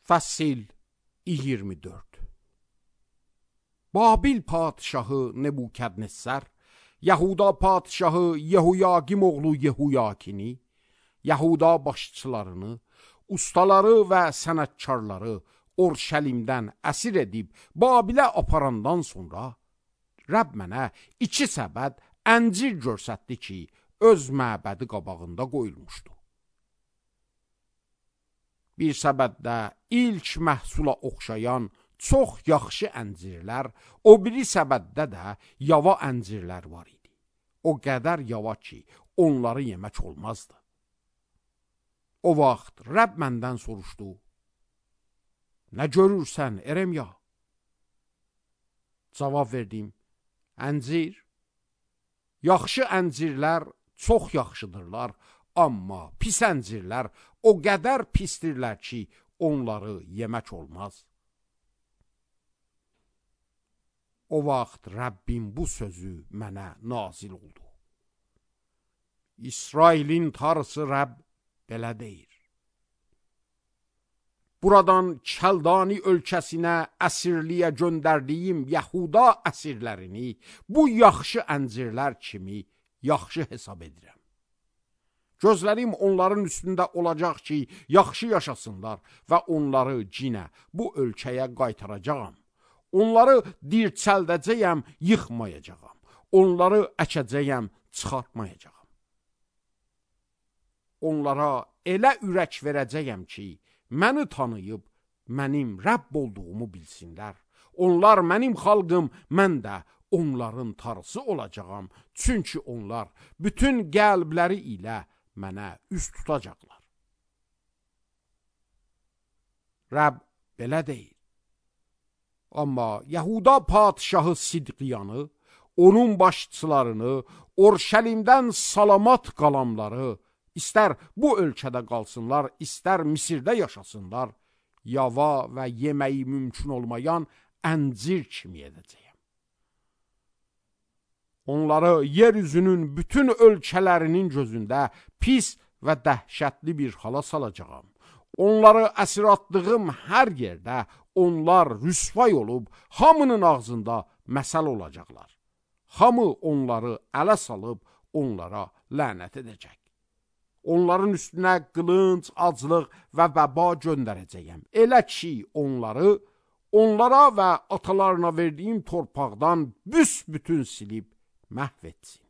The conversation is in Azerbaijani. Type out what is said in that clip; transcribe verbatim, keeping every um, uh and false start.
Fəsil iyirmi dörd. Babil padişahı Nebukadnezar, Yahuda padişahı Yehoyakim oğlu Yehoyakini, Yahuda başçılarını, ustaları və sənətkarları Orşəlimdən əsir edib Babilə aparandan sonra Rəbb mənə iki səbəd əncir görsətdi ki, öz məbədi qabağında qoyulmuşdu. Bir səbəddə ilk məhsula oxşayan çox yaxşı əncirlər, o biri səbəddə də yava əncirlər var idi. O qədər yava ki, onları yemək olmazdı. O vaxt Rəbb məndən soruşdu: Nə görürsən, Eremya? Cavab verdim: Əncir. Yaxşı əncirlər çox yaxşıdırlar, amma pis əncirlər o qədər pisdirlər ki, onları yemək olmaz. O vaxt Rəbbim bu sözü mənə nazil oldu: İsrailin Tanrısı Rəbb belə deyir: Buradan Kəldani ölkəsinə əsirliyə göndərdiyim Yahuda əsirlərini bu yaxşı əncirlər kimi yaxşı hesab edirəm. Gözlərim onların üstündə olacaq ki, yaxşı yaşasınlar və onları cinə bu ölkəyə qaytaracağam. Onları dirçəldəcəyəm, yıxmayacağam. Onları əkəcəyəm, çıxartmayacağam. Onlara elə ürək verəcəyəm ki, məni tanıyıb, mənim Rəbb olduğumu bilsinlər. Onlar mənim xalqım, mən də onların Tanrısı olacağam. Çünki onlar bütün qəlbləri ilə mənə üst tutacaqlar. Rəbb belə deyir. Amma Yahuda padişahı Sidqiyanı, onun başçılarını, Orşəlimdən salamat qalanları, İstər bu ölkədə qalsınlar, istər Misirdə yaşasınlar, yava və yeməyi mümkün olmayan əncir kimi edəcəyəm. Onları yeryüzünün bütün ölkələrinin gözündə pis və dəhşətli bir hala salacağam. Onları əsir atdığım hər yerdə onlar rüsvay olub, hamının ağzında məsəl olacaqlar. Hamı onları ələ salıb, onlara lənət edəcək. Onların üstünə qılınc, aclıq və vəba göndərəcəyəm. Elə ki, onları, onlara və atalarına verdiyim torpaqdan büsbütün silib məhv etsin.